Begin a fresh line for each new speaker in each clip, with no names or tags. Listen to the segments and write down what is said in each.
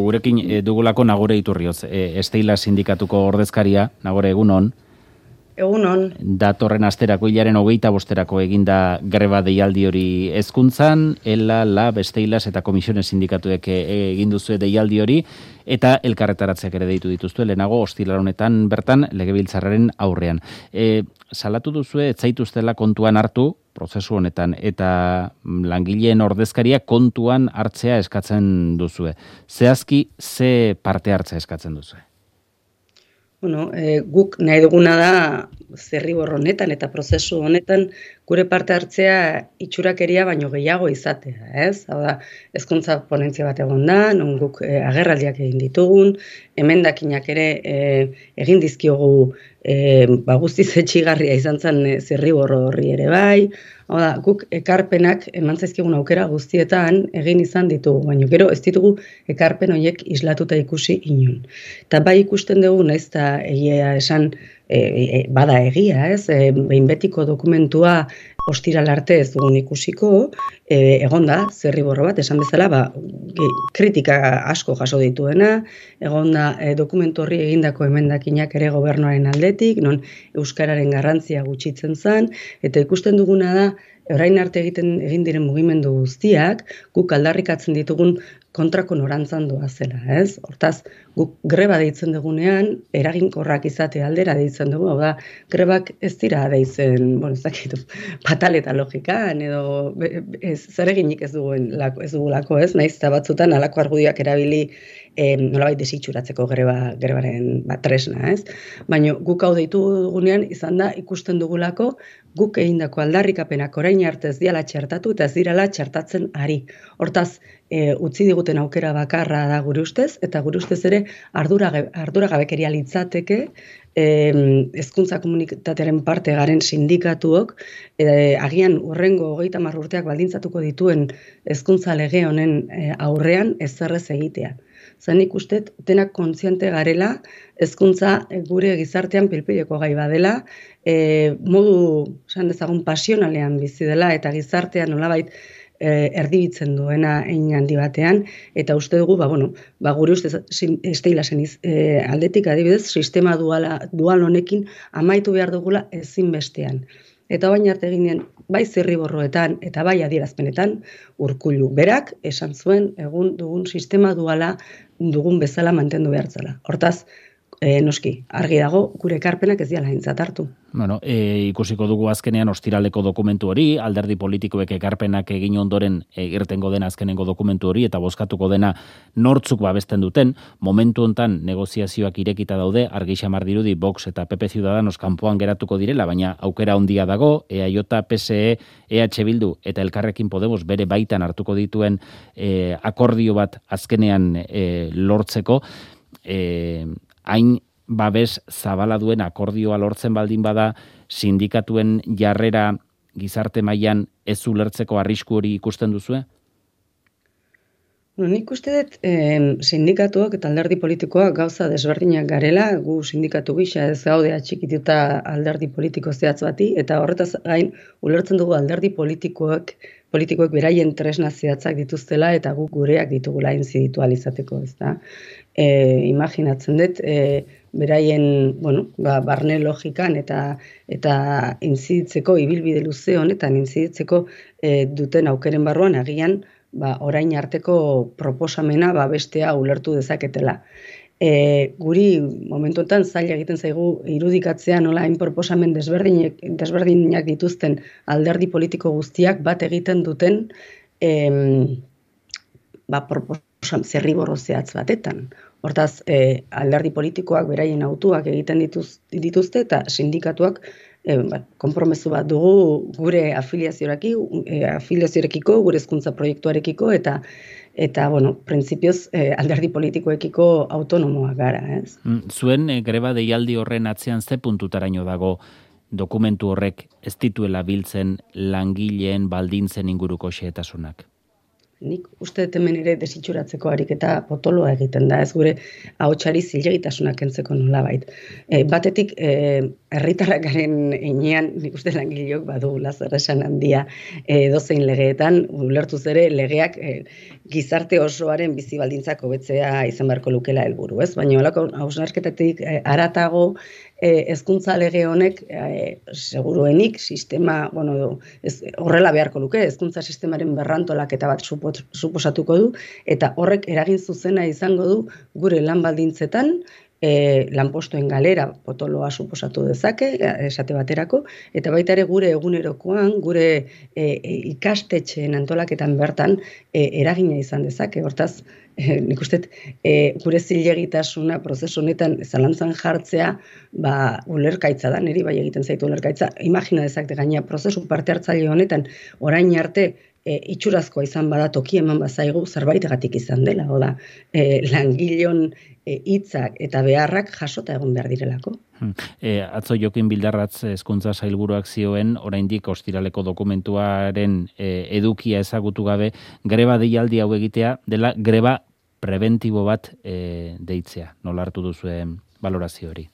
gurekin dugulako Nagore Iturrioz, Esteila sindikatuko ordezkaria. Nagore, egunon.
Egunon.
Datorren asterako hilaren 25erako eginda greba deialdi hori hezkuntzan, ELA, LAB, Esteilas eta Komisiones sindikatuek egin duzue deialdi hori, eta elkarretaratzeak ere deitu dituzue, lehenago ostiral honetan bertan legebiltzarraren aurrean. Salatu duzue, ez zaituztela kontuan hartu, prozesu honetan, eta langileen ordezkaria kontuan hartzea eskatzen duzue. Zehazki, ze parte hartzea eskatzen duzue?
Bueno, guk nahi duguna da zirribor honetan eta prozesu honetan gure parte hartzea itxurakeria baino gehiago izatea, ez? Hau da, hezkuntza ponentzia bat egon da, non guk agerraldiak egin ditugun, emendakinak ere egin dizkiogu guztiz etxigarria izan zen zirribor horri ere bai. Hau da, guk ekarpenak eman zaizkigun aukera guztietan egin izan ditugu, baina gero ez ditugu ekarpen horiek islatuta ikusi inon. Eta bai ikusten dugu, naiz eta egia esan bada egia, ez? Behin betiko dokumentua ostiral arte ez dugun ikusiko, egon da, zirriborro bat, esan bezala, kritika asko jaso dituena, egon da dokumentu horri egindako emendakinak ere gobernuaren aldetik, non euskararen garrantzia gutxitzen zen, eta ikusten duguna da, orain arte egin diren mugimendu guztiak, guk aldarrikatzen ditugun kontrako norantzan doazela, ez? Hortaz, guk greba deitzen dugunean, eraginkorrak izate aldera deitzen dugu, hau da, grebak ez dira deitzen, ez dakit, pataleta logikan, edo zereginik ez dugulako, ez? Naiz eta batzutan alako argudioak erabili nolabait desitxuratzeko grebaren tresna, ez? Baina guk hau deitu dugunean izan da ikusten dugulako guk egindako aldarrikapenak orain arte ez diala txertatu eta ez dirala txertatzen ari. Hortaz, utzi diguten aukera bakarra da gure ustez, eta gure ustez ere arduragabekeria litzateke hezkuntza komunitatearen parte garen sindikatuok agian hurrengo 30 urteak baldintzatuko dituen hezkuntza lege honen aurrean ezerrez egitea. Zanik uste denak kontziente garela, hezkuntza gure gizartean pilpileko gai badela, modu, esan dezagun, pasionalean bizi dela eta gizartean nolabait erdibitzen duena hein handi batean, eta uste dugu, gure ustez Esteilasen aldetik adibidez, sistema dual honekin amaitu behar dugula ezinbestean. Eta baina arte eginen, bai zirriborroetan eta bai adierazpenetan, Urkullu berak esan zuen egun dugun sistema duala dugun bezala mantendu behartzela. Hortaz, noski, argi dago, gure ekarpenak ez diala aintzat hartu.
Ikusiko dugu azkenean ostiraleko dokumentu hori, alderdi politikoek ekarpenak egin ondoren irtengo dena azkenengo dokumentu hori, eta bozkatuko dena nortzuk babesten duten. Momentu hontan negoziazioak irekita daude, argi xamar dirudi Vox eta PP Ciudadanos kanpoan geratuko direla, baina aukera handia dago, EAJ, PSE, EH Bildu eta Elkarrekin Podemos bere baitan hartuko dituen akordio bat azkenean lortzeko. Hain babes zabala duen akordioa lortzen baldin bada, sindikatuen jarrera gizarte mailan ez ulertzeko arrisku hori ikusten duzue?
Nik uste dut sindikatuak eta alderdi politikoak gauza desberdinak garela, gu sindikatu gisa ez gaude atxikituta alderdi politiko zehatz bati, eta horretaz gain ulertzen dugu alderdi politikoek beraien tresna zehatzak dituztela eta guk gureak ditugula inziditu alizateko, ez da. Imaginatzen dut, beraien, barne logikan eta inziditzeko, ibilbide luze honetan inziditzeko duten aukeren barruan agian, orain arteko proposamena bestea ulertu dezaketela. Guri momentuetan zaila egiten zaigu irudikatzea nola hain proposamen desberdinak dituzten alderdi politiko guztiak bat egiten duten zirriborro zehatz batetan. Hortaz, alderdi politikoak beraien autuak egiten dituzte eta sindikatuak konpromezu bat dugu gure afiliazioarekiko, gure hezkuntza proiektuarekiko eta printzipioz alderdi politikoekiko autonomoak gara, ez?
Zuen greba deialdi horren atzean ze puntutaraino dago dokumentu horrek ez dituela biltzen langileen baldintzen inguruko xehetasunak?
Nik uste dut hemen ere desitxuratzeko ariketa potoloa egiten da, ez gure ahotsari zilegitasuna kentzeko nolabait. Batetik, herritarrak garen heinean, nik uste langileok badugula zer esan handia dozein legeetan, ulertuz ere legeak gizarte osoaren bizi baldintzak hobetzea izan beharko lukela helburu, ez? Baina holako hausnarketatik haratago hezkuntza lege honek seguruenik sistema, horrela beharko luke, hezkuntza sistemaren berrantolaketa bat suposatuko du, eta horrek eragin zuzena izango du gure lan baldintzetan, lanpostuen galera potoloa suposatu dezake, esate baterako, eta baita ere gure egunerokoan, gure ikastetxeen antolaketan bertan eragina izan dezake. Hortaz, nik uste gure zilegitasuna prozesu honetan zalantzan jartzea, ulergaitza da, niri bai egiten zaitu ulergaitza. Imagina dezakete gaina prozesu parte hartzaile honetan orain arte itxurazkoa izan bada toki eman bazaigu zerbaitegatik izan dela, oda langileon hitzak eta beharrak jasota egon behar direlako.
Atzo Jokin Bildarratz hezkuntza sailburuak zioen, oraindik ostiraleko dokumentuaren edukia ezagutu gabe, greba deialdi hau egitea dela greba preventibo bat deitzea. Nola hartu duzuen balorazio hori?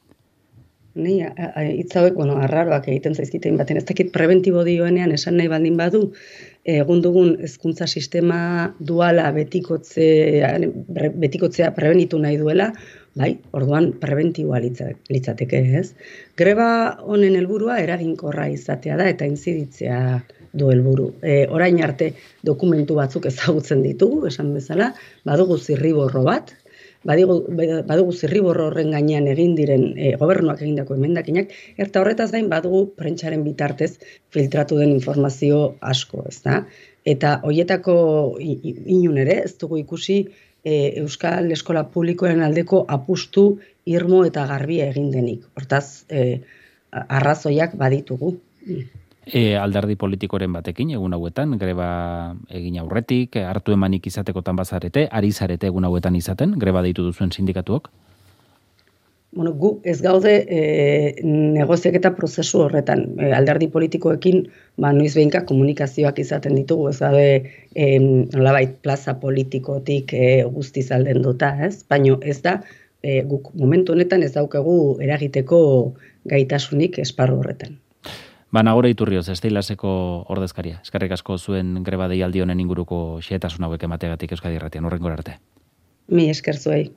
Ni hitz hauek, arraroak egiten zaizkitein baten, ez dakit preventibo dioenean esan nahi baldin badu, egun dugun hezkuntza sistema duala betikotzea prebenitu nahi duela, bai, orduan preventiboa litzateke, ez? Greba honen helburua eraginkorra izatea da eta intziditzea du helburu. Orain arte dokumentu batzuk ezagutzen ditugu, esan bezala, badugu zirriborro bat, badugu zirriborro horren gainean egin diren gobernuak egindako emendakinak, eta horretaz gain badugu prentsaren bitartez filtratu den informazio asko, ezta? Eta hoietako inun ere, ez dugu ikusi Euskal Eskola Publikoaren aldeko apustu irmo eta garbia egin denik. Hortaz, arrazoiak baditugu.
Alderdi politikoren batekin egun hauetan, greba egin aurretik, hartu emanik izatekotan bazarete, ari zarete egun hauetan izaten, greba deitu duzuen sindikatuok?
Gu ez gaude negoziaketa prozesu horretan. Alderdi politikoekin noiz behinka komunikazioak izaten ditugu, ez gaude nolabait plaza politikotik guztiz aldenduta, ez? Baina ez da, guk momentu honetan ez daukagu eragiteko gaitasunik esparru horretan.
Nagore Iturrioz, Esteilaseko ordezkaria. Eskerrik asko zuen greba deialdi honen inguruko xehetasun hauek emateagatik Euskadi Irratian. Hurrengora arte.
Mi esker zuei.